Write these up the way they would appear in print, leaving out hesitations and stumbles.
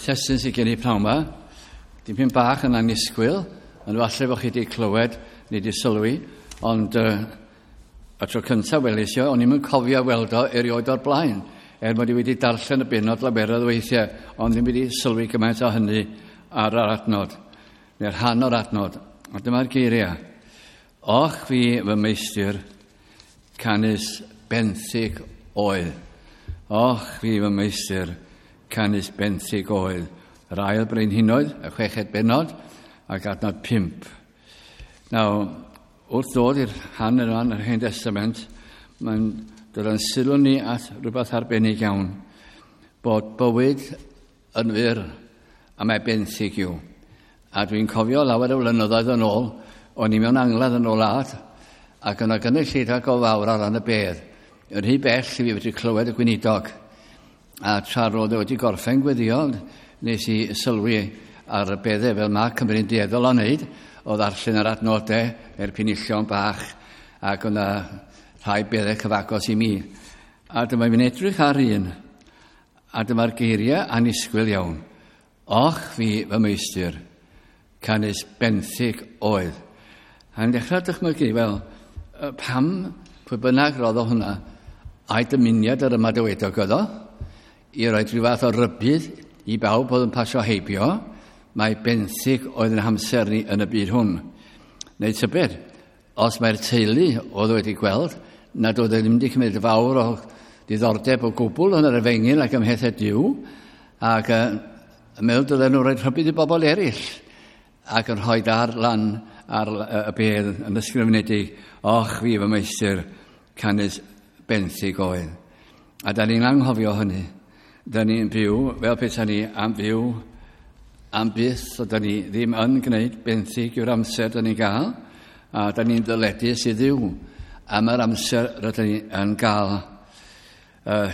Testun sydd gen i pnawn yma, dipyn bach yn annisgwyl, ond falle bod chi wedi clywed neu wedi sylwi, ond y tro cyntaf welis i o, o'n i'm yn cofio weld o erioed o'r blaen, er mod i wedi darllen y bennod laweroedd weithiau, ond ddim wedi sylwi gymaint o hynny ar yr adnod, neu'r rhan o'r adnod. A dyma'r geiriau. Och fi fy meistr, canys benthyg oedd. Och fi fy meistr, canys benthyg oedd. Yr ail brenhinoedd, y chweched bennod, ac adnod 5. Nawr, wrth ddod i'r rhan yna yn yr Hen Testament, mae'n dod yn sylw ni at rhywbeth arbennig iawn, bod bywyd yn fyr a mae benthyg yw. A dwi'n cofio lawer o flynyddoedd yn ôl, o'n i mewn angladd yn y wlad, ac yna gynulleidfa go fawr ar ran y bedd. Yn rhy bell i fi wedi clywed y gweinidog. A tra roedd e wedi gorffen gweddio, nes i sylwi ar y beddau fel mae Cymru'n dueddol o wneud, o ddarllen yr adnodau neu'r penillion bach, ac o'na rhai beddau cyfagos i mi. A dyma fi'n edrych ar un, a dyma'r geiriau annisgwyl iawn. Och fi fy meistr, canys benthyg oedd. A'n dechrau dychmygu, wel, pam, pwy bynnag roddo hwnna, a'i dymuniad yr ymadawedog oedd o, i roi rhyw fath o rybudd i bawb oedd yn pasio heibio, mae benthyg oedd yn hamser ni yn y byd hwn. Neu tybed, os mae'r teulu oedd wedi gweld nad oedd e ddim wedi cymryd fawr o diddordeb o gwbl yn yr efengyl ac ym mhethau Duw, ac yn meddwl dylen nhw roi rhybudd i bobl eraill, ac yn rhoi ar lan ar y bedd yn ysgrifenedig, och fi fy meistr, canys benthyg oedd. A da ni'n anghofio hynny. Da ni'n byw fel pethau ni am fyw am byth, so da ni ddim yn gwneud benthyg yw'r amser da ni'n gael, a da ni'n ddyledus i Dduw am yr amser rydyn ni yn gael,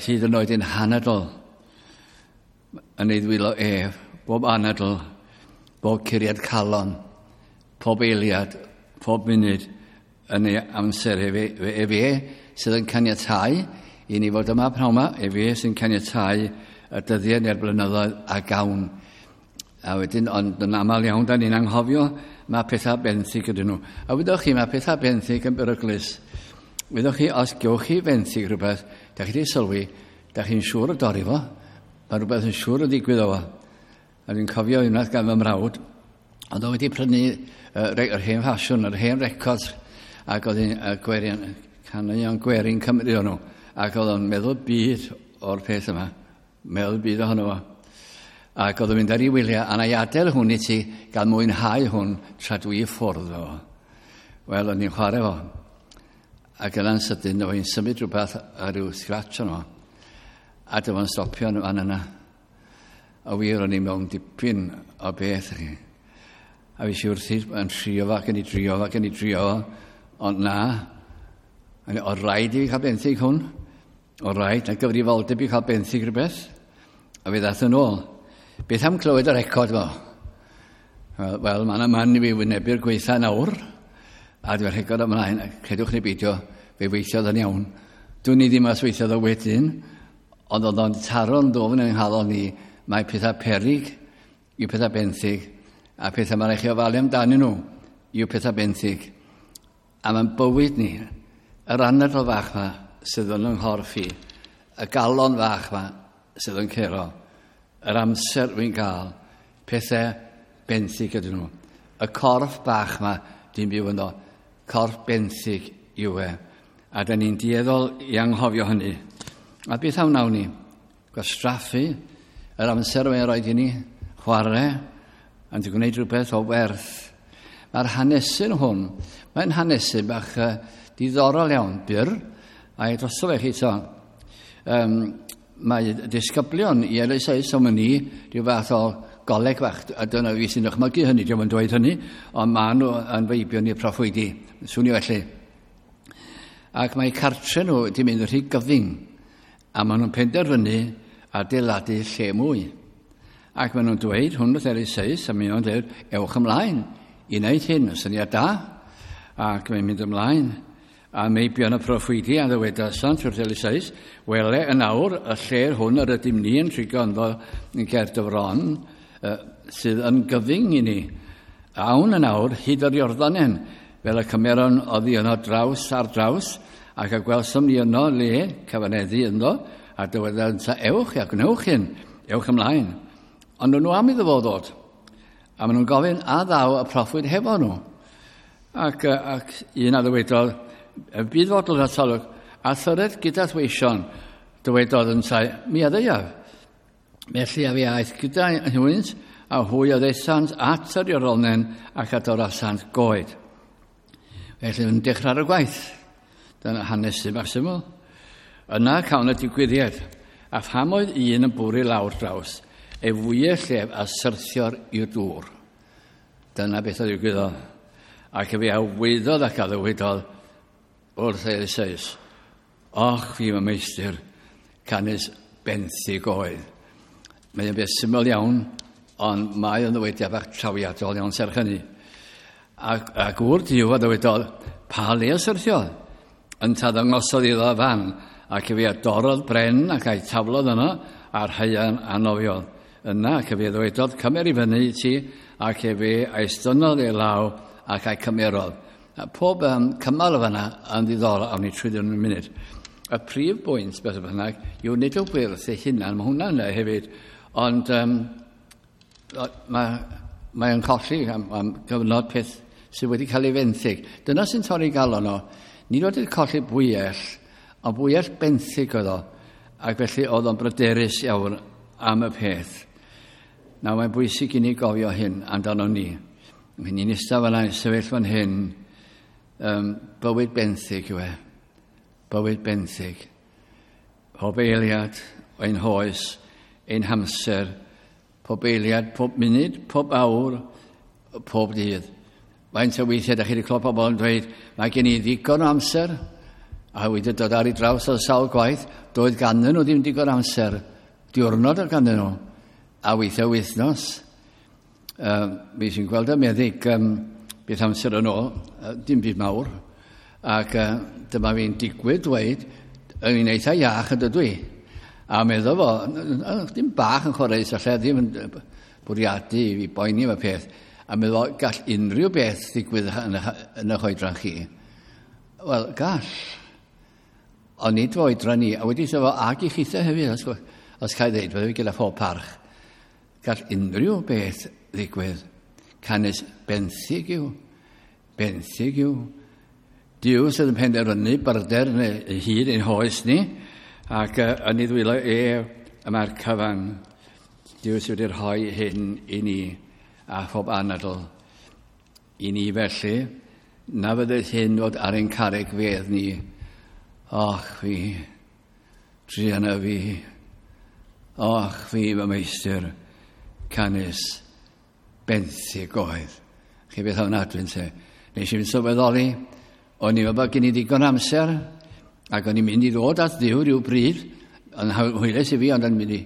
hyd yn oed yn hanadl yn ei ddwylo ef, bob anadl, bob curiad calon, pob eiliad, pob munud yn ei amser ef, ef e sydd yn caniatáu i ni fod yma pnawn yma, ef e sy'n caniatáu y dyddiau neu'r blynyddoedd a gawn. A wedyn, ond yn aml iawn, da ni'n anghofio, mae pethau benthyg ydyn nhw. A wyddoch chi, mae pethau benthyg yn beryglus. Wyddoch chi, os gewch chi fenthyg rhywbeth, da chi wedi sylwi, da chi'n siŵr o dorri fo, mae rhywbeth yn siŵr o ddigwydd o fo. A dwi'n cofio unwaith gan fy mrawd, ond oedd wedi prynu yr hen ffasiwn, yr hen records, ac oedd hi'n gwerin, caneuon gwerin Cymru o'n nhw, ac oedd o'n meddwl byd o'r peth yma, meddwl byd ohono fo. Ac oedd o'n mynd ar ei wyliau, a na i adael hwn i ti gael mwynhau hwn tra dwi i ffwrdd o. Wel, o'n i'n chwarae fo. Ac yna'n sydyn, oedd hi'n symud rhywbeth ar ryw scratch o'n. A dyma'n stopio yn fan yna. A wir, o'n i mewn dipyn o beth chi. A fi si wrthi yn trio fo, ac yn ei drio fo, ac yn ei drio fo. Ond na, o rhaid i fi cael benthyg hwn. O rhaid, na gyfrifoldeb i cael benthyg rhywbeth. A fi ddath yn ôl. Beth am clywed y record fo? Wel, mae yna man i fi wynebu'r gweitha nawr. A dwi'n rhegod ymlaen, a credwch neu beidio, fe weithiodd yn iawn. Dwi'n i ddim os weithiodd o wedyn, ond oedd o'n taro'n ddofn yng nghalon ni, mae pethau peryg yw pethau benthyg, a pethau mae'n rhaid chi ofalu amdanyn nhw yw pethau benthyg. A mae'n bywyd ni, yr anadl fach yma sydd yn yng nghorff i, y galon fach yma sydd yn curo, yr amser wy'n gael, pethau benthyg ydyn nhw. Y corff bach yma dwi'n byw ynddo, corff benthyg yw e. A da ni'n dueddol i anghofio hynny. A beth am wnawn ni? Gwastraffu yr amser mae'n rhaid i ni, chwarae, ond i gwneud rhywbeth o werth. Mae'r hanesyn hwn, mae'n hanesyn bach diddorol iawn, byr, a i drosto fe chi to. Mae disgyblion i LSA, so mae ni rhyw fath o goleg fach, a dyna fi sy'n dychmygu hynny, diolch yn dweud hynny, ond maen nhw yn feibion i'r proffwydi, swnio felly. Ac mae cartre nhw wedi mynd yn rhy gyfyng, a maen nhw'n penderfynu adeiladu lle mwy. Ac maen nhw'n dweud, hwn wrth LSA, a maen nhw'n dweud, ewch ymlaen i wneud hyn, syniad da, ac mae'n mynd ymlaen. A meibion y proffwydi a ddywedasant wrth Eliseus, wele yn awr y lle hwn yr ydym ni yn trigo ynddo yn ger dy fron, sydd yn gyfyng i ni. Awn yn awr hyd yr Iorddonen, fel y cymeron oddi yno draws ar draws, ac y gwelsom ni yno le cyfaneddu ynddo, a dywedant, ewch a gwnewch hyn, ewch ymlaen. Ond nhw am iddo fo ddod. A maen nhw'n gofyn, a ddaw y proffwyd hefo nhw. Ac un a ddywedodd, bydd fodlon atalwg, a thyred gyda thweision, dywedodd yntau, mi a ddeuaf. Felly a fi aeth gyda hwynt, a hwy a ddaethant at yr Iorddonen ac a dorasant goed. Felly yn dechrau ar y gwaith. Dyna hanes sy'n bach syml. Yna cawn y digwyddiad, a pham oedd un yn bwrw i lawr draws, ei fwyell ef a syrthio'r i'r dŵr. Dyna beth oedd ddigwyddodd. Ac efe a weiddodd ac a ddywedodd wrth Eliseus, och fi fy meistr, canys benthyg oedd. Mae'n beth syml iawn, ond mae o'n ddywediad bach trawiadol iawn serch hynny. A gŵr Duw a ddywedodd, pa le y syrthiodd? Ynta ddangosodd iddo fan, ac efe a dorrodd bren ac a'i taflodd yno, a'r haearn a nofiodd. Yna, ac efe ddywedodd, cymer i fyny i ti, ac efe a'i estynnodd ei law ac a'i cymerodd. A pob cymal o fanna yn ddiddorol, awn ni trwy yn y munud. Y prif bwynt, beth bynnag, yw nid o wyrth ei hunan, mae hwnna'n yna hefyd, ond mae'n colli am gyfnod peth sydd wedi cael ei fenthyg. Dyna sy'n torri galon o. Nid oedd wedi colli bwyell, ond bwyell benthyg oedd o, ac felly oedd o'n bryderus iawn am y peth. Nawr, mae'n bwysig i ni gofio hyn amdano ni. Mae ni'n eistedd fan'na, sefyll fan hyn, bywyd benthyg yw e. Bywyd benthyg. Pob eiliad ein hoes, ein hamser, pob eiliad, pob munud, pob awr, pob dydd. Faint o weithiau da chi wedi clywed pobl yn dweud, mae gen i ddigon o amser, a wedi dod ar ei draws o sawl gwaith, doedd ganddyn nhw ddim digon amser, diwrnod oedd ganddyn nhw, a weithiau wythnos. Mi sy'n gweld y meddyg beth amser yn ôl, dim byd mawr, ac dyma fi'n digwydd dweud, yn i'n eitha iach yn dydw i. A meddwl fo, dim bach yn chwaraeus, allai ddim yn bwriadu i fi boeni am y peth. A meddwl, gall unrhyw beth ddigwydd yn eich oedran chi. Wel, gall. Ond nid fy oedran ni. A wedi sefo ag i chitha hefyd, os cael ddeud, fydde fi gyda phob parch. Gall unrhyw beth ddigwydd. Canys benthyg yw. Benthyg yw. Duw sydd yn penderfynu byrder neu hyd ein hoes ni, ac yn ei ddwylo e y mae'r cyfan. Duw sydd wedi rhoi hyn i ni a phob anadl. I ni felly, na fyddai hyn fod ar ein carreg fedd ni. Och fi, druan fi, och fi fy meistr, canys benthyg oedd. Chi beth ofnadwy yn te. Nes i fynd sylweddoli, o'n i'n meddwl bod gen i ddigon amser, ac o'n i'n mynd i ddod at Dduw rhyw bryd, yn hwylus i fi, ond o'n mynd i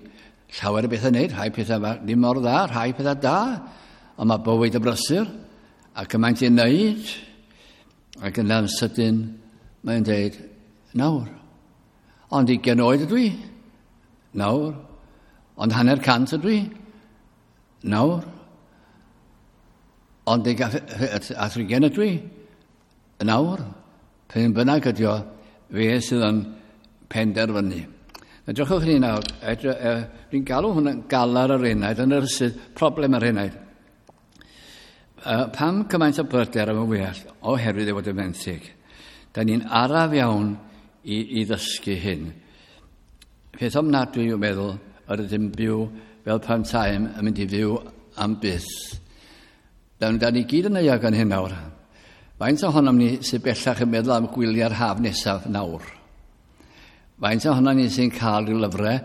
llawer o bethau wneud, rhai pethau ddim mor dda, rhai pethau da, ond mae bywyd y brysur, ac cymaint i'n wneud, ac yna'n sydyn, mae'n dweud, nawr. Ond 20 oed ydw i, nawr. Ond 150 ydw i, nawr. Ond 30 ydw i, nawr. Pryn bynnag ydi o, fe sydd yn penderfynu. Edrychwch chi nawr, dwi'n galw hwnna'n galar yr enaid, yn yr sydd problem yr enaid. Pam cymaint o bryder am y wyall? Oherwydd ei fod yn fenthyg. Da ni'n araf iawn i ddysgu hyn. Peth ofnadwy yw meddwl yr ydym byw fel pan taem yn mynd i fyw am byth. Da ni gyd yn euog yn hyn nawr. Faint ohonom ni sydd bellach yn meddwl am gwyliau'r haf nesaf nawr? Faint ohonom ni sy'n cael rhyw lyfrau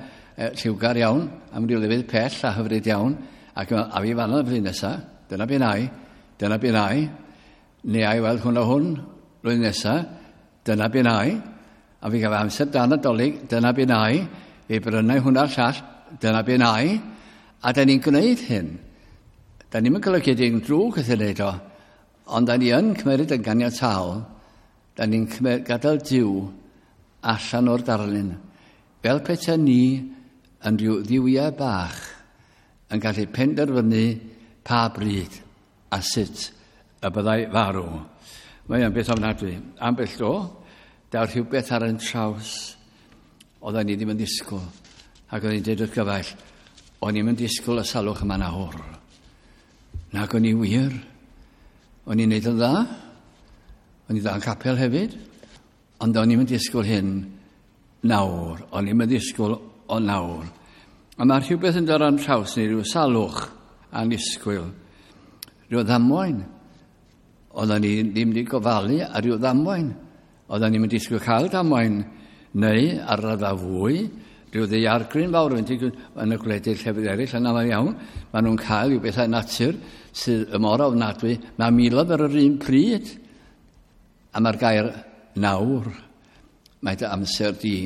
lliwgar iawn, am ryw lefydd pell a hyfryd iawn, ac a fi fan yna flwyddyn nesaf, dyna be nai, dyna be nai, neu ai weld hwn o hwn flwyddyn nesaf, dyna be nai, a fi gael amser dan Nadolig, dyna be nai, fi brynau hwnna'r llall, dyna be nai, a da ni'n gwneud hyn. Da ni'n golygu dim drwg wrth ei wneud o, ond da ni yn cymryd yn ganiataol, Da ni'n gadael Duw allan o'r darlun. Fel pethau ni yn rhyw ddiwiau bach yn gallu penderfynu pa bryd a sut y byddai farw. Mae o'n beth ofnadwy. Ambell dro, daw rhywbeth ar ein traws oedden ni ddim yn disgwyl. Ac oedden ni'n dweud wrth gyfaill, o'n i'n disgwyl y salwch yma nawr. Nag o'n i wir. O'n i'n neud yn dda. O'n i dda yn capel hefyd. Ond o'n i'n disgwyl hyn nawr. O'n i'n disgwyl o nawr. A mae rhywbeth yn dod ar traws ni, rhyw salwch anisgwyl. Rhyw ddamwain. Oedden ni ddim wedi gofalu ar ryw ddamwain. Oedden ni'n disgwyl cael damwain. Neu, ar raddfa fwy, rhyw ddaeargryn fawr yn yn y gwledydd llefydd eraill yn aml iawn, maen nhw'n cael rhyw bethau natur sydd y mor ofnadwy. Mae miloedd ar yr un pryd. A mae'r gair nawr, mae dy amser di.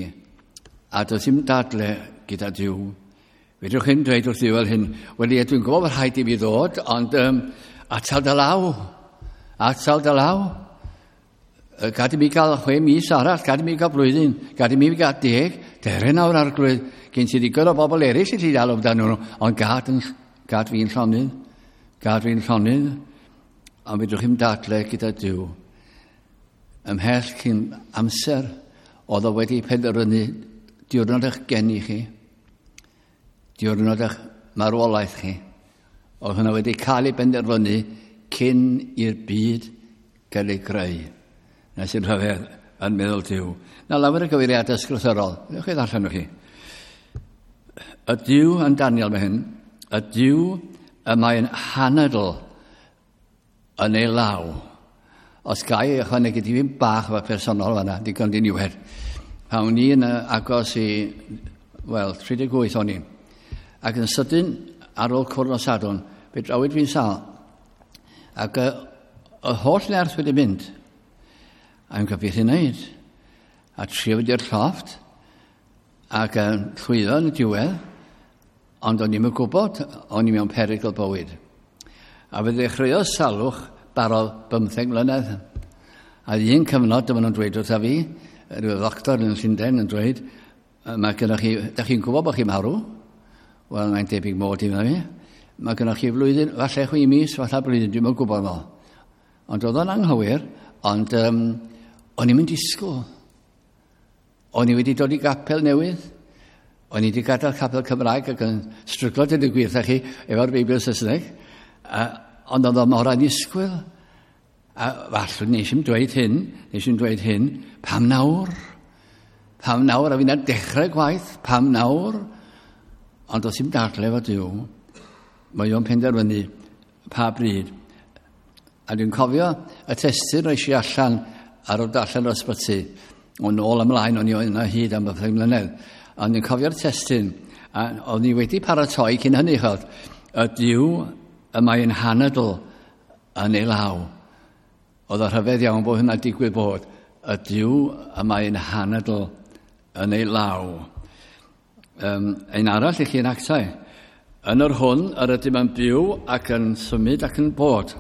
A does dim dadle gyda Duw. Fedrwch chi'n dweud wrth Dduw fel hyn, wel ie, dwi'n gwybod bod rhaid i fi ddod, ond atal dy law. Atal dy law. Gad i mi gael 6 mis arall, gad i mi gael blwyddyn, gad i mi gael 10, dere nawr arglwydd, gen ti ddigon o bobl eraill i ti ddal amdano nhw, ond gad, yn, gad fi'n llonydd, gad fi'n llonydd, ond fedrwch chi'n dadle gyda Duw. Ymhell cyn amser, oedd o wedi penderfynu diwrnod eich geni chi, diwrnod eich marwolaeth chi. Oedd hwnna wedi cael ei benderfynu cyn i'r byd gael ei greu. Na sy'n rhyfedd yn meddwl Duw. Na lawer o gyfeiriadau ysgrythurol. Newch chi ddarllen nhw chi. Y Duw yn Daniel mae hyn, y Duw y mae'n hanadl yn ei law. Os gai ei ychwanegu dipyn bach efo personol fanna, digon diniwed. Pan o'n i yn agos i, wel, 38 o'n i. Ac yn sydyn, ar ôl cwrdd nos Sadwrn, fe drawyd fi'n sâl. Ac y holl nerth wedi mynd. A i'n gwybod beth i wneud. A trio fynd i'r llofft, ac yn llwyddo yn y diwedd, ond o'n i'm yn gwybod, o'n i mewn perygl bywyd. A fe ddechreuodd salwch barodd 15 mlynedd. A un cyfnod, dyma nhw'n dweud wrtha fi, rhyw ddoctor yn Llundain yn dweud, mae gennych chi, da chi'n gwybod bod chi'n marw? Wel, mae'n debyg mod i fi. Mae gennych chi flwyddyn, falle 6 mis, falle blwyddyn, dwi'm yn gwybod fo. Ond oedd o'n anghywir, ond o'n i'n mynd disgwyl. O'n i wedi dod i gapel newydd. O'n i wedi gadael capel Cymraeg ac yn stryglo dweud y gwir wrtha chi efo'r Beibl Saesneg. Ond oedd o mor annisgwyl. A falle nes i'm dweud hyn, nes i'm dweud hyn, pam nawr? Pam nawr? A fi'n dechrau gwaith, pam nawr? Ond does dim dadle efo Duw. Mae o'n penderfynu pa bryd. A dwi'n cofio y testun roes i allan ar ôl darllen o'r ysbyty. O'n ôl ymlaen, o'n i yna hyd am 15 mlynedd. Ond dwi'n cofio'r testun, a o'n i wedi paratoi cyn hynny, chod. Y Duw y mae'n hanadl yn ei law. Oedd o rhyfedd iawn bod hynna'n digwydd bod. Y Duw y mae'n hanadl yn ei law. Un arall i chi yn Actau. Yn yr hwn yr ydym yn byw ac yn symud ac yn bod.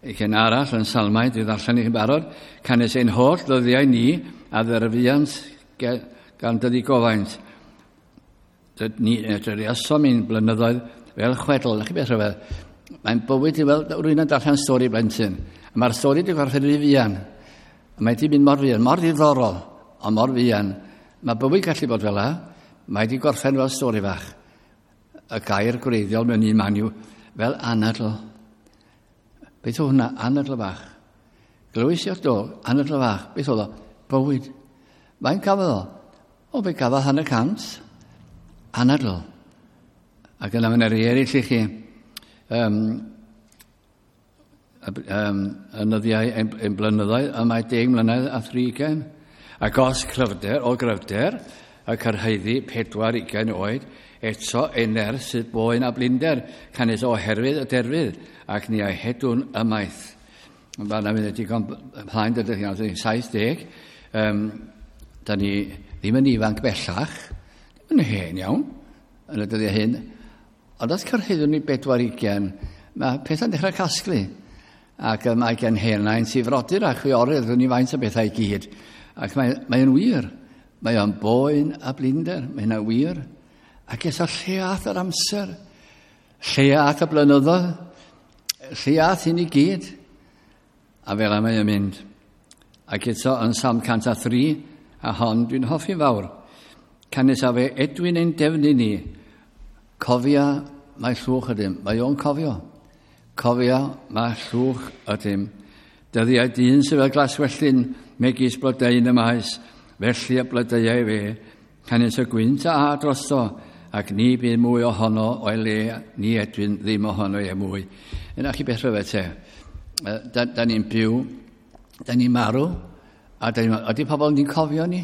Un arall yn Salmau, dwi ddarllen i chi'n barod, canys ein holl ddyddiau ni a dderfiant gan dy ddigofaint. Ni dryriasom ein blynyddoedd fel chwedl. Na chi beth rhyfedd? Mae'n bywyd i fel rhywun yn darllen stori blentyn. A mae'r stori wedi gorffen rhy fuan. A mae wedi mynd mor fuan, mor ddiddorol, ond mor fuan. Mae bywyd gallu bod fel la. Mae wedi gorffen fel stori fach. Y gair gwreiddiol mewn un man yw fel anadl. Beth oedd hwnna? Anadl fach. Glywys i o'r do, anadl fach. Beth oedd o? Bywyd. Mae'n gafodd o? O, fe gafodd 150. Anadl. Ac yna mae'n eraill i chi. Yn nyddiau, ein blynyddoedd, y mae 10 mlynedd a 30. Ac os cryfder, o gryfder, y cyrhaeddu 40 oed, eto ei nerth sydd boen a blinder, canys oherwydd y derfydd, ac ni a'i hedwn ymaith. Fanna fydd y digon plaen dydych chi, 70. Da ni ddim yn ifanc bellach, ddim yn hen iawn, yn y dyddiau hyn. Ond os cyrhaeddwn ni 40, mae pethau'n dechrau casglu. Ac mae gen hen nain sy'n frodyr a chwiorydd, dwi'n i faint o bethau i gyd. Ac mae'n mae wir. Mae o'n boen a blinder, mae hynna'n wir. Ac eto lle ath yr amser, lle ath y blynyddoedd, lle ath hyn i gyd. A fel mae o'n mynd. Ac eto yn Salm 103, a hon dwi'n hoffi'n fawr. Canys a fe edwyn ein defnydd ni, cofia mae llwch ydym. Mae o'n cofio. Cofia mae llwch ydym. Dyddiau dyn sydd fel glaswelltyn, megis blodeuyn y maes, felly y blodeuau fe, canys y gwynt a a drosto, ac ni bydd mwy ohono o'i le, ni edwyn ddim ohono e mwy. Yna chi beth rhyfedd te. Da, da ni'n byw, da ni'n marw, a da ni'n ydy pobl ni'n cofio ni?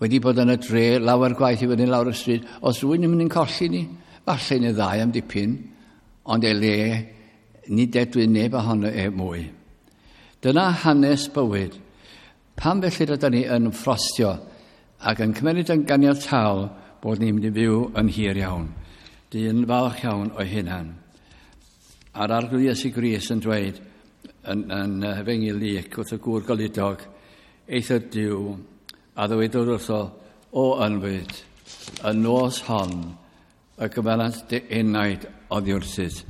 Wedi bod yn y dre lawer gwaith i fyny lawr y stryd, os rwy'n mynd i'n colli ni, falle yn y ddau am dipyn, ond e le, nid edwyn neb ohono e mwy. Dyna hanes bywyd. Pam felly rydyn ni yn ffrostio ac yn cymryd yn ganiataol bod ni'n mynd i fyw yn hir iawn. Dyn falch iawn o'i hunan. A'r Arglwydd Iesu Grist yn dweud yn, yn Efengyl Luc wrth y gŵr goludog, eithr Duw, a ddywedodd wrtho, o ynfyd, y nos hon, y gyferant dy enaid oddi wrthyt,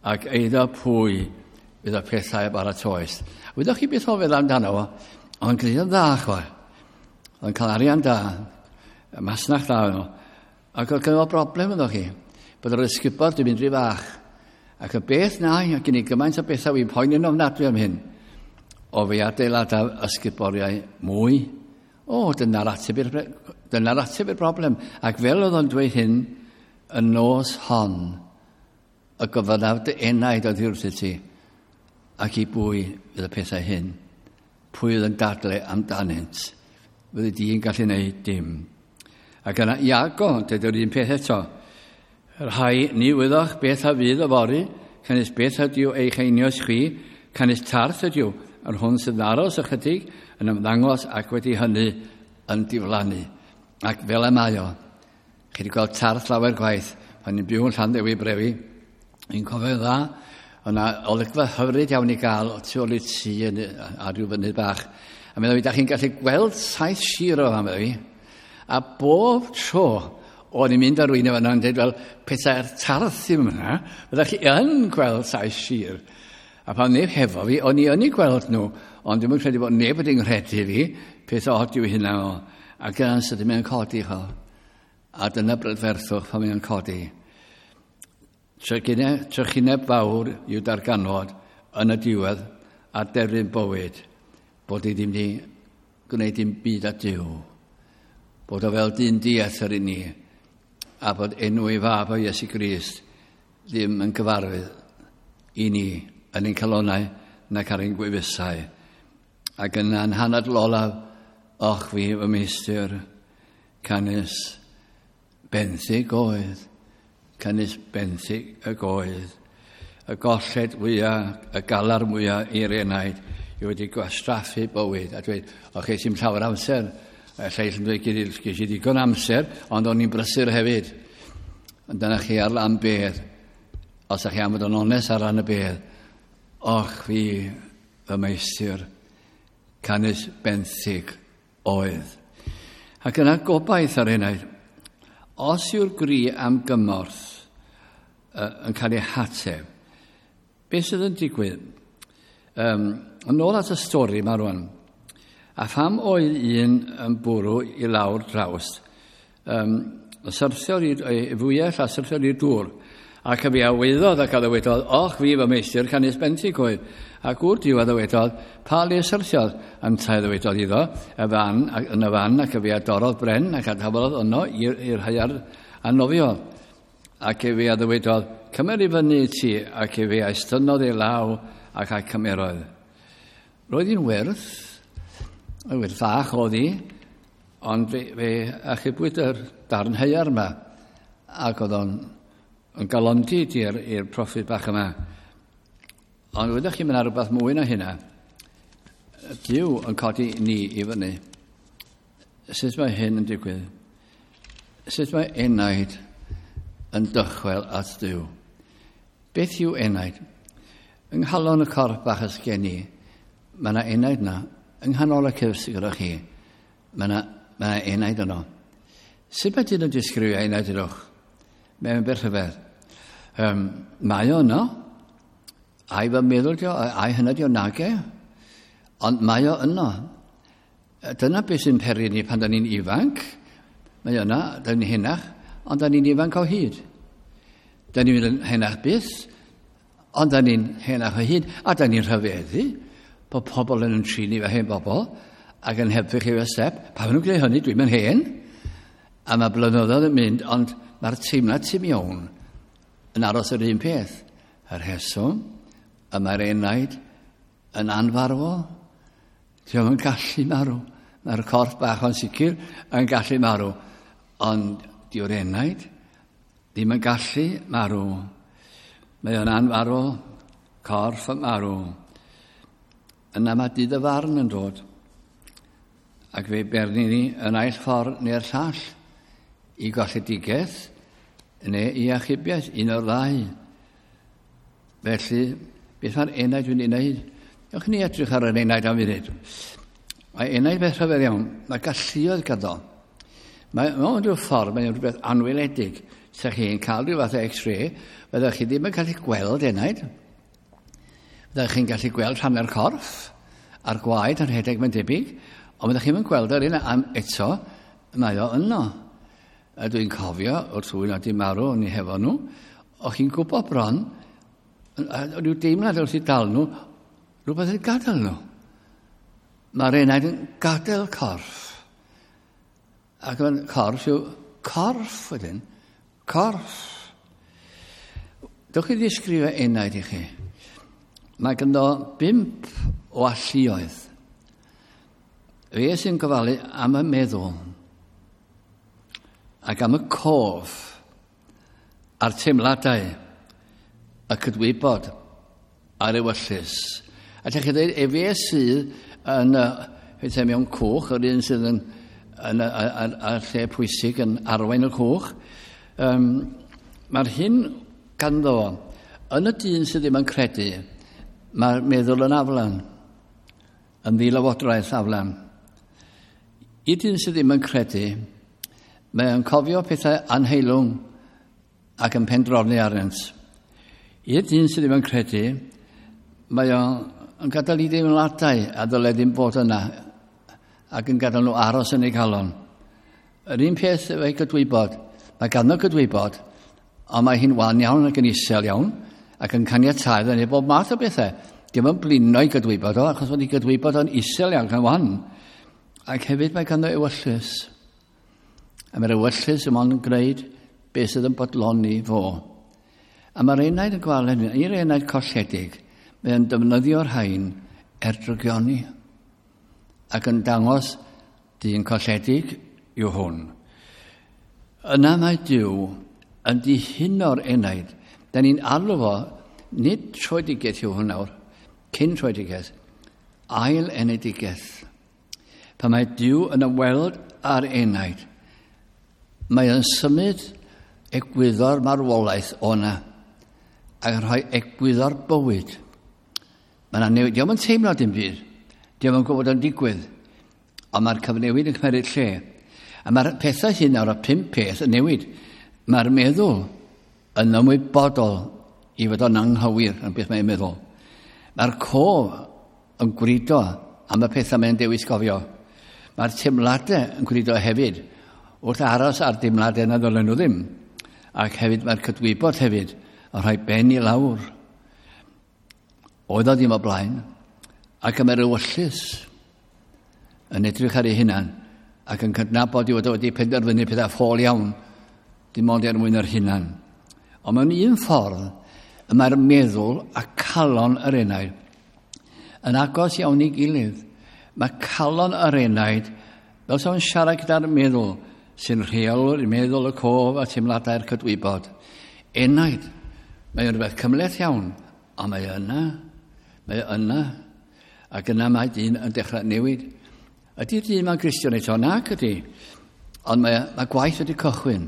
ac eiddo pwy fydd y pethau a baratoes. Wyddoch chi beth o feddwl amdano fo? Oedd yn gwneud yn dda, chwa. Oedd yn cael arian da, masnach dda nhw. Ac oedd gynno fo broblem ydych chi, bod yr ysgubor di mynd rhy fach. Ac y beth na, ac gen i gymaint o bethau fi'n poeni'n ofnadwy am hyn, o fi adeiladaf ysguboriau mwy. O, dyna'r ateb i'r, dyna'r ateb i'r broblem. Ac fel oedd o'n dweud hyn, y nos hon, y gofynnaf dy enaid oddi wrthyt ti, ac i bwy fydd y pethau hyn. Pwy oedd yn dadle amdanynt? Fyddi di'n gallu gwneud dim. Ac yna Iago, dweud yr un peth eto. Rhai ni wyddoch beth a fydd yfory, canys beth ydyw eich einioes chwi, canys tarth ydyw, yr hwn sydd aros ychydig yn ymddangos ac wedi hynny yn diflannu. Ac fel y mae o, chi wedi gweld tarth lawer gwaith, pan ni'n byw yn Llanddewi Brefi, ni'n cofio dda, o'na olygfa hyfryd iawn i gael o tu ôl i tŷ yn, ar ryw fynydd bach. A meddwl fi, da chi'n gallu gweld 7 sir o fan, meddwl fi. A bob tro o'n i'n mynd ar rwy'n efo yn dweud, wel, petai'r tarth ddim yna, fyddech chi yn gweld 7 sir. A pan neb hefo fi, o'n i yn ei gweld nhw, ond dwi'n credu bod neb wedi nghredu fi, peth od yw hynna o. Ac yna'n sydyn mae'n codi, cho. A dyna brydferthwch pan mae'n codi. Trychineb fawr i'w darganfod yn y diwedd a derfyn bywyd, bod i ddim wedi gwneud dim byd â Duw. Bod o fel dyn diethr i ni, a bod enw ei fab o Iesu Grist ddim yn gyfarwydd i ni yn ein calonnau nac ar ein gwefusau. Ac yna'n hanadl olaf, och fi fy meistr, canys benthyg oedd, canys benthyg y goedd, y golled fwyaf, y galar mwyaf i'r enaid, i wedi gwastraffu bywyd. A dweud, o chi sy'n llawer amser, y lleill yn dweud, ges i ddigon amser, ond o'n i'n brysur hefyd. Ond dyna chi ar lan bedd, os ydych chi am fod yn onest ar ran y bedd, och fi fy meistr, canys benthyg oedd. Ac yna gobaith ar enaid, os yw'r gri am gymorth yn cael ei hateb, beth sydd yn digwydd? Yn ôl at y stori yma rwan, a pham oedd un yn bwrw i lawr drawst, syrthiodd i'r fwyell a syrthiodd i'r dŵr, ac y fi a weiddodd ac a ddywedodd, och fi fy meistr, canys benthyg oedd. Ac gŵr Duw a ddywedodd, pa le syrthiodd? Yntau ddywedodd iddo, y fan, yn y fan, ac y fi a dorrodd bren, ac a daflodd yno i'r haearn a nofiodd. Ac e fi a ddywedodd, cymer i fyny i ti, ac e fi a estynnodd ei law, ac a cymerodd. Roedd hi'n wyrth, yn wyrth fach oedd hi, ond fe achubwyd yr darn haearn yma, ac oedd o'n yn galondid i'r proffwyd bach yma. Ond wyddoch chi, mae yna rhywbeth mwy na hynna. Duw yn codi ni i fyny. Sut mae hyn yn digwydd? Sut mae enaid yn dychwel at Duw? Beth yw enaid? Yng nghalon y corff bach ys gen i, mae yna enaid yna. Yng nghanol y cyrff sydd gyda chi, mae yna, mae yna enaid yno. Sut mae dyn yn disgrifio enaid ydwch? Mae'n beth rhyfedd. Mae o yno. Ai fy meddwl dio, ai hynny dio nage. Ond mae o yno. Dyna beth sy'n peri ni pan da ni'n ifanc. Mae yna, da ni'n henach, ond da ni'n ifanc o hyd. Da ni'n mynd yn henach byth, ond da ni'n henach o hyd, a da ni'n rhyfeddu bod pobl yn trin ni fel hen bobl ac yn helpu chi efo step. Pa maen nhw'n gwneud hynny, dwi'n mynd hen. A mae blynyddoedd yn mynd, ond mae'r teimlad tu mewn yn aros yr un peth. Y rheswm, y mae'r enaid yn anfarwol. Dio'm yn gallu marw. Mae'r corff bach o'n sicr yn gallu marw. Ond dyw'r enaid ddim yn gallu marw. Mae o'n anfarwol, corff yn marw. Yna mae dydd y farn yn dod. Ac fe berni ni yn aill ffordd neu'r llall i golledigaeth neu i achubiaeth, un o'r ddau. Felly, beth mae'r enaid wedi wneud? Ewch ni edrych ar yr enaid am funud. Mae enaid beth rhyfedd iawn. Mae galluoedd ganddo. Mae mewn rhyw ffordd, mae'n rhywbeth anweledig. Sa chi'n cael rhyw fath o x-ray, byddwch chi ddim yn gallu gweld enaid. Byddwch chi'n gallu gweld rhan corff, a'r gwaed yn rhedeg mae'n debyg, ond byddwch chi'n gweld yr un am eto, mae o yno. A dwi'n cofio, wrth rhywun oedd wedi marw, o'n i hefo nhw, o'ch chi'n gwybod bron, rhyw deimlad wrth i dal nhw, rhywbeth yn gadael nhw. Mae'r enaid yn gadael corff. Ac mae'n corff yw corff wedyn. Corff. Dewch i ddisgrifio enaid i chi. Mae ganddo 5 o alluoedd. Fe sy'n gofalu am y meddwl ac am y cof a'r teimladau y cydwybod a'r ewyllys. A lle chi ddweud, efe sydd yn, uh, mewn cwch, yr un sydd yn, yn, yn, yn lle pwysig yn arwain y cwch, mae'r hyn ganddo fo, yn y dyn sydd ddim yn credu, mae'r meddwl yn aflan, yn ddilywodraeth aflan. I dyn sydd ddim yn credu, mae o'n cofio pethau anheilwng ac yn pendroni arnynt. I'r dyn sydd ddim yn credu, mae o'n gadael i deimladau a ddyle ddim bod yna ac yn gadael nhw aros yn ei calon. Yr un peth efo'i gydwybod, mae ganddo gydwybod, ond mae hi'n wan iawn ac yn isel iawn ac yn caniatáu iddo wneud bob math o bethau. Dim yn blino i gydwybod o, achos bod ei gydwybod o'n isel iawn ac yn wan. Ac hefyd mae ganddo ewyllys. A mae'r ewyllys yn ond yn gwneud beth sydd yn bodloni fo. A mae'r enaid yn gweld hynny, i'r enaid colledig, mae o'n defnyddio'r rhain er drygioni ac yn dangos dyn colledig yw hwn. Yna mae Duw yn dihuno'r enaid. Da ni'n alw fo, nid troedigaeth yw hwn nawr, cyn troedigaeth, ail enedigaeth. Pan mae Duw yn ymweld â'r enaid, mae yn symud egwyddor marwolaeth o'na ac yn rhoi egwyddor bywyd. Mae yna newid. Dio'm yn teimlo dim byd. Dio'm yn gwybod yn digwydd. Ond mae'r cyfnewid yn cymryd lle. A mae'r pethau hyn nawr, y 5 peth yn newid. Mae'r meddwl yn ymwybodol i fod o'n anghywir yn beth mae'n meddwl. Mae'r cof yn gwrido am y pethau mae'n dewis gofio. Mae'r teimladau yn gwrido hefyd wrth aros ar deimladau na ddylen nhw ddim. Ac hefyd mae'r cydwybod hefyd yn rhoi ben i lawr. Oedd o ddim o blaen. Ac mae'r ewyllys yn edrych ar ei hunan ac yn cydnabod i fod o wedi penderfynu pethau ffôl iawn, dim ond er mwyn yr hunan. Ond mewn un ffordd, y mae'r meddwl a calon yr enaid yn agos iawn i gilydd. Mae calon yr enaid, fel sa'n siarad gyda'r meddwl, sy'n rheolwr i meddwl y cof a teimladau'r cydwybod. Enaid, mae'n rhywbeth cymhleth iawn, ond mae yna, ac yna mae dyn yn dechrau newid. Ydy'r dyn ma'n Gristion eto? Nac ydy. Ond mae gwaith wedi cychwyn.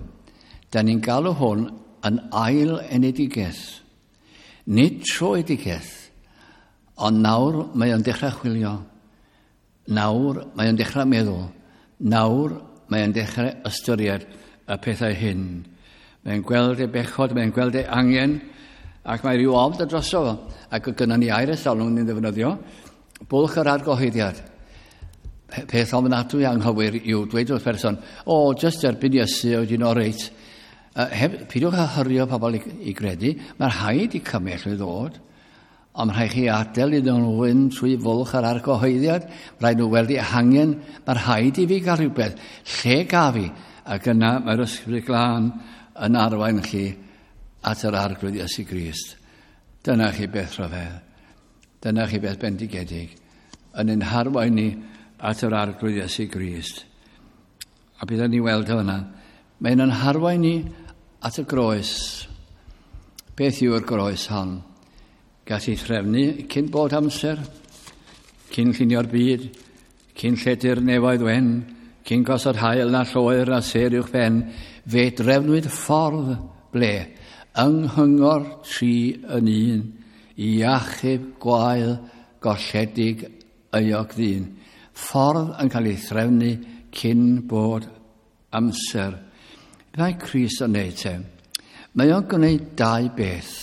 Da ni'n galw hwn yn ail enedigaeth. Nid troedigaeth. Ond nawr mae o'n dechrau chwilio. Nawr mae o'n dechrau meddwl. Nawr mae o'n dechrau ystyried y pethau hyn. Mae'n gweld ei bechod, mae'n gweld ei angen, ac mae rhyw ofn droso fo. Ac gynnon ni air ers talwm ni'n ddefnyddio, bwlch yr argyhoeddiad. Peth ofnadwy anghywir yw dweud wrth person, "O, just derbyn Iesu, oedd hi'n oreit." Heb, peidiwch â hyrio pobl i gredu, mae'r rhaid i cymell i ddod, ond mae rhaid chi adael iddyn nhw fynd trwy fwlch yr argyhoeddiad, mae rhaid nhw weld eu hangen, mae rhaid i fi gael rhywbeth, lle gaf fi? Ac yna mae'r Ysbryd Glân yn arwain chi at yr Arglwydd Iesu Grist. Dyna chi beth rhyfedd. Dyna chi beth bendigedig. Yn ein harwain ni at yr Arglwydd Iesu Grist. A byddwn ni weld hwnna. Mae'n yn harwain ni at y groes. Beth yw'r groes hon? Gath ei threfnu cyn bod amser, cyn llunio'r byd, cyn lledu'r nefoedd wen, cyn gosod haul na lloer na sêr uwch ben, fe drefnwyd ffordd ble, yng nghyngor tri yn un, i achub gwael golledig euog ddyn. Ffordd yn cael ei threfnu cyn bod amser. Be mae Crist yn neud te? Mae o'n gwneud dau beth.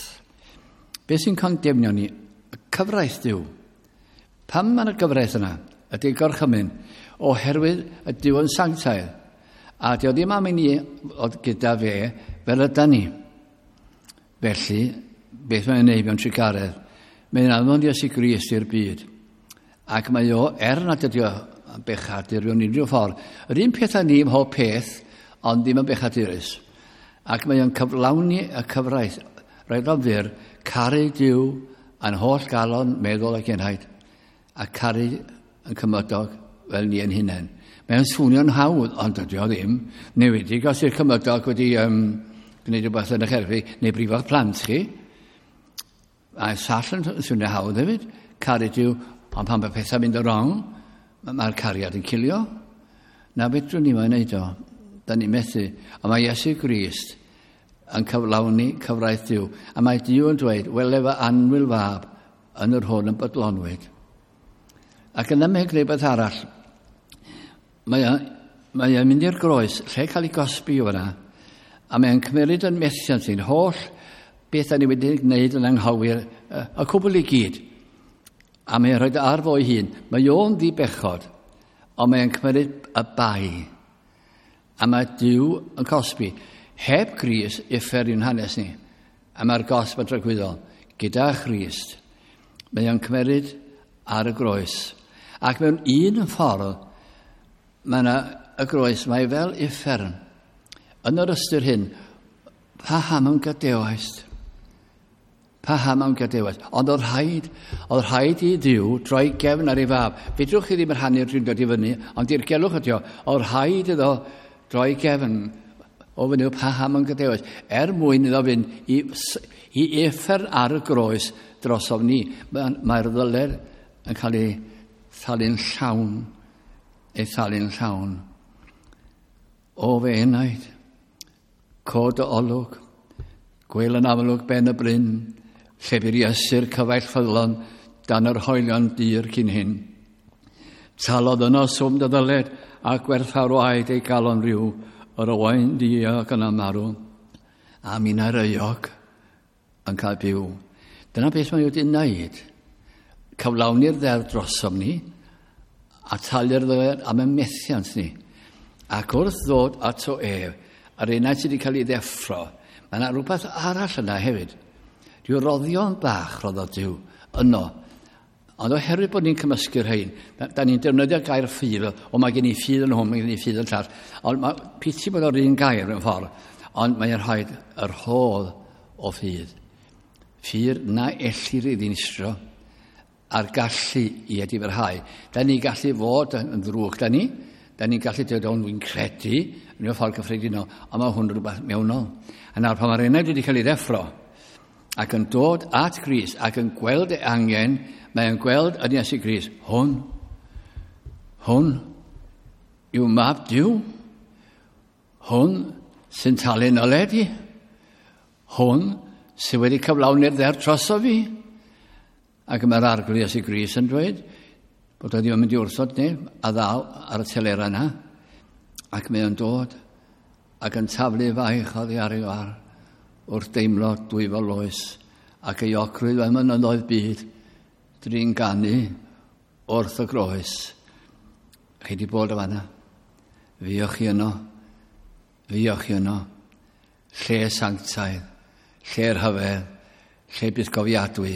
Beth sy'n condemnio ni? Y cyfraith Duw. Pam mae yna gyfraith yna? Ydy'r gorchymyn. Oherwydd y Duw yn sanctaidd. A dio ddim am i ni fod gyda fe fel yda ni. Felly, beth mae'n neud mewn trugaredd? Mae'n anfon Iesu Grist i'r byd. Ac mae o, er nad ydi o bechadur mewn unrhyw ffordd, yr un peth â ni ym mhob peth, ond ddim yn bechadurus. Ac mae o'n cyflawni y cyfraith. Rhaid o'n fyr, caru Duw a'n holl galon, meddwl ac enaid, a caru yn cymydog fel ni yn hunain. Mae'n swnio'n hawdd, ond dydy o ddim. Newedig os yw'r cymydog wedi gwneud rhywbeth yn eich erbyn, neu brifo'ch plant chi. A sall yn swnio hawdd hefyd. Caru Duw, ond pan mae pethau'n mynd yn wrong, mae'r cariad yn cilio. Na fedrwn ni mae'n neud o. Da ni'n methu. Ond mae Iesu Grist yn cyflawni cyfraith Duw. A mae Duw yn dweud, "Wele fy annwyl fab yn yr hwn yn bodlonwyd." Ac yna mae'n gwneud beth arall. Mae o'n mynd i'r groes, lle cael ei gosbi o fyna, a mae'n cymryd yn methiant ni'n holl beth da ni wedi gwneud yn anghywir, y cwbl i gyd. A mae'n rhoi ar fo'i hun. Mae o'n ddibechod, ond mae'n cymryd y bai. A mae Duw yn cosbi. Heb Grist, uffern yw'n hanes ni. A mae'r gosb yn dragwyddol. Gyda Christ, mae o'n cymryd ar y groes. Ac mewn un ffordd, mae yna y groes, mae fel uffern. Yn yr ystyr hyn, paham y'm gadawaist? Paham y'm gadawaist? Ond oedd rhaid i Dduw droi gefn ar ei fab. Fedrwch chi ddim rhannu'r drindod i fyny, ond dirgelwch ydi o. Oedd rhaid iddo droi gefn o fyny, "Paham y'm gadawaist?" Er mwyn iddo fynd i uffern ar y groes drosof ni. Mae'r ddyled yn cael ei thalu'n llawn. Ei thalu'n llawn. "O fy enaid, cod dy olwg, gwel yn amlwg ben y bryn, lle bu'r Iesu'r cyfaill ffyddlon dan yr hoelion dur cyn hyn. Talodd yno swm dy ddyled a gwerthfawr waed ei galon ryw, yr oen diog yna marw, a minnau'r euog yn cael byw." Dyna beth mae wedi wneud. Cyflawni'r ddeddf drosom ni, a talu'r ddyled am y methiant ni. Ac wrth ddod ato ef, a'r enaid sydd wedi cael ei ddeffro, mae yna rhywbeth arall yna hefyd. Rhyw roddion bach roddodd Duw yno. Ond oherwydd bod ni'n cymysgu'r rhain, da ni'n defnyddio gair ffydd, o, mae gen i ffydd yn hwn, mae gen i ffydd yn llall. Ond mae piti bod o'r un gair mewn ffordd, ond mae'n rhaid y rhodd o ffydd. Ffydd na ellir ei ddinistro a'r gallu i edifarhau. Da ni'n gallu fod yn ddrwg, da ni. Da ni'n gallu dweud, "Ond dwi'n credu," yn y ffordd cyffredinol, ond mae hwn rhywbeth mewnol. A nawr pan mae'r enaid wedi cael ei ddeffro, ac yn dod at Grist, ac yn gweld ei angen, mae'n gweld yn Iesu Grist, hwn yw mab Duw, hwn sy'n talu nyled i, hwn sydd wedi cyflawni'r ddeddf droso fi. Ac mae'r Arglwydd Iesu Grist yn dweud bod o ddim yn mynd i wrthod neb a ddaw ar y telera yna. Ac mae o'n dod ac yn taflu faich oddi ar ei war wrth deimlo dwyfol oes ac ei ocrwydd fel mynyddoedd byd drin ganu wrth y groes. Chi wedi bod o fanna. Fuoch chi yno. Fuoch chi yno. Lle sanctaidd, lle rhyfedd, lle bythgofiadwy,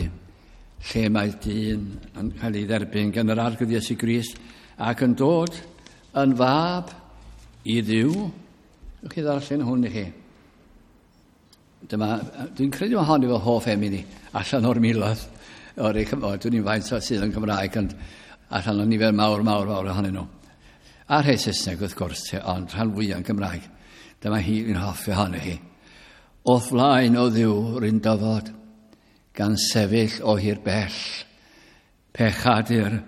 lle mae dyn yn cael ei dderbyn gan yr Arglwydd Iesu Grist ac yn dod yn fab i Dduw. Ewch chi ddarllen hwn i chi. Dyma, dwi'n credu mae hon i fy hoff emyn i, allan o'r miloedd. O'r ei Cymraeg, dwi'n i'n faint o sydd yn Cymraeg, ond allan o nifer mawr, mawr, mawr ohonyn nhw. A rhai Saesneg wrth gwrs, ond rhan fwyaf yn Gymraeg. Dyma hi, fi'n hoffi hon i chi. O'th flaen o Dduw rwy'n dyfod, gan sefyll o hir bell. Pechadur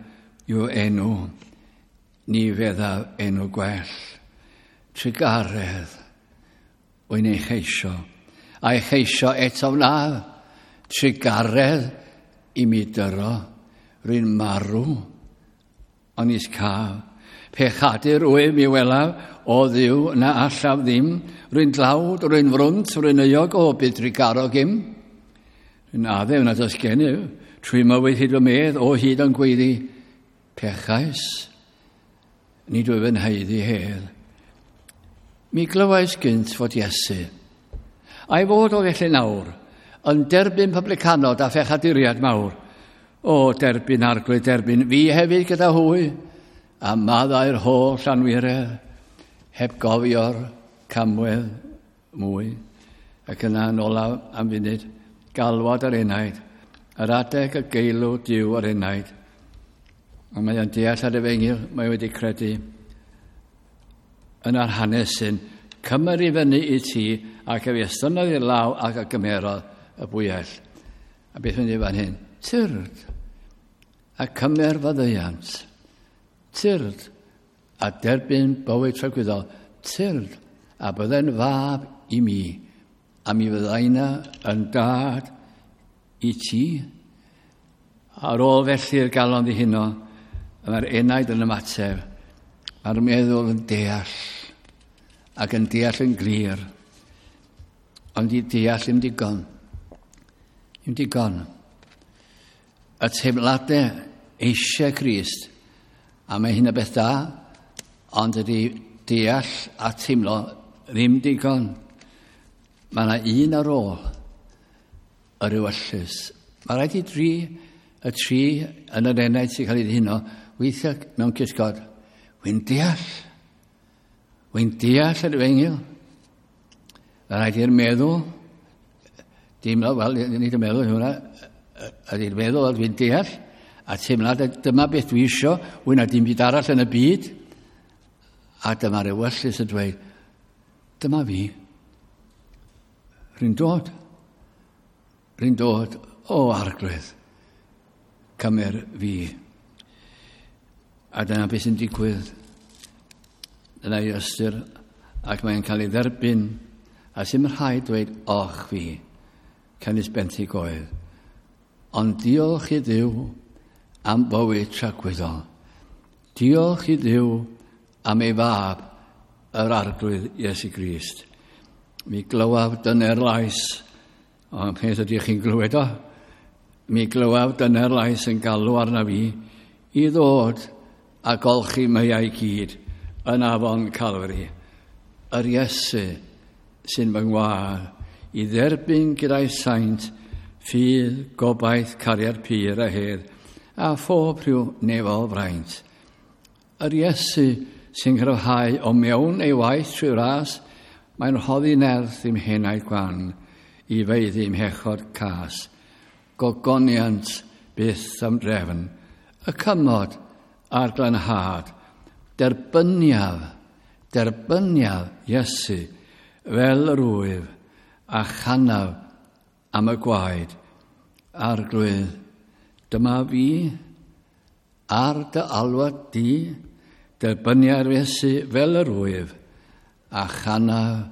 yw enw, ni feddaf enw gwell. Trugaredd, wy'n ei cheisio, a'i cheisio eto wnaf. Trugaredd i mi dyro, rwy'n marw, ond nis caf. Pechadur wyf mi welaf, o Dduw na allaf ddim, rwy'n dlawd, rwy'n frwnt, rwy'n euog, o byd trugarog im. Rwy'n addef nad oes gennyf, trwy mywyd hyd fy medd, o hyd yn gweiddi, pechais, nid wyf yn haeddu hedd. Mi glywais gynt fod Iesu, a'i fod o felly nawr, yn derbyn publicanod a phechaduriad mawr. O, derbyn Arglwydd, derbyn fi hefyd gyda hwy, a maddau'r holl anwiredd, heb gofio'r camwedd mwy. Ac yna yn olaf am funud, galwad yr enaid, yr adeg y geilw Duw yr enaid. Ond mae o'n deall ar efengyl, mae wedi credu yn yr hanes sy'n cymmer i fyny i ti ac ef estynnodd i'r law ac a gymerodd y bwyell. A beth mynd i fan hyn? Tyrd a cymer faddeuant. Tyrd a derbyn bywyd tragwyddol. Tyrd a bydde'n fab i mi, a mi fyddaina yn dad i ti. Ar ôl felly'r galon ddihuno, mae'r enaid yn ymateb, mae'r meddwl yn deall, ac yn deall yn glir, ond i deall ddim digon. Ddim digon. Y teimladau eisiau Crist, a mae hyn o beth da, ond ydy deall a teimlo ddim digon. Mae yna un ar ôl yr ewyllys. Mae rhaid i dri, y tri yn yr enaid sy'n cael ei ddihuno, weithio mewn cysgod. Wy'n deall. Wy'n deall yr efengyl. Mae rhaid i'r meddwl, deimlo, wel, nid y meddwl hwnna, ydy'r meddwl, wel, dwi'n deall, a teimlad, dyma beth dwi isio, wy'n na dim byd arall yn y byd. A dyma'r ewyllys yn dweud, dyma fi. Rwy'n dod. Rwy'n dod, o Arglwydd, cymer fi. A dyna beth sy'n digwydd. Dyna ei ystyr, ac mae'n cael ei dderbyn, a sy'n rhaid dweud, och fi, canys benthyg oedd. Ond diolch i Dduw am bywyd tragwyddol. Diolch i Dduw am ei fab, yr Arglwydd Iesu Grist. Mi glywaf dyner lais, ond peth ydych chi'n glywed o, mi glywaf dyner lais yn galw arna fi i ddod a golchi meiau gyd yn afon Calfari. Yr Iesu sy'n fy ngwadd i dderbyn gyda'i saint ffydd, gobaith, cariad pur a hedd, a phob rhyw nefol fraint. Yr Iesu sy'n cryfhau o mewn ei waith trwy ras, mae'n rhoddi nerth i'm henau gwan i feiddi i'm hechod cas. Gogoniant byth am drefn, y cymod a'r glanhad, derbyniaf, derbyniaf Iesu fel yr wyf a chanaf am y gwaed. Arglwydd, dyma fi ar dy alwad di, derbyniaf Iesu fel yr wyf a chanaf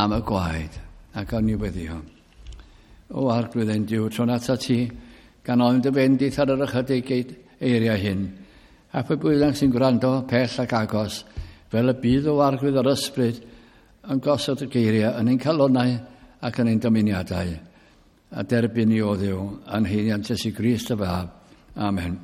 am y gwaed. Ac o'n i weddio. O Arglwydd ein Duw, tro'n atat ti, Gan ofyn dy fendith ar yr ychydig eiriau hyn, a pwy bynnag sy'n gwrando pell ac agos, fel y bydd o Arglwydd yr Ysbryd yn gosod y geiriau yn ein calonnau ac yn ein dymuniadau, a derbyn ni o Dduw yn haeddiant Iesu Grist dy Fab. Amen.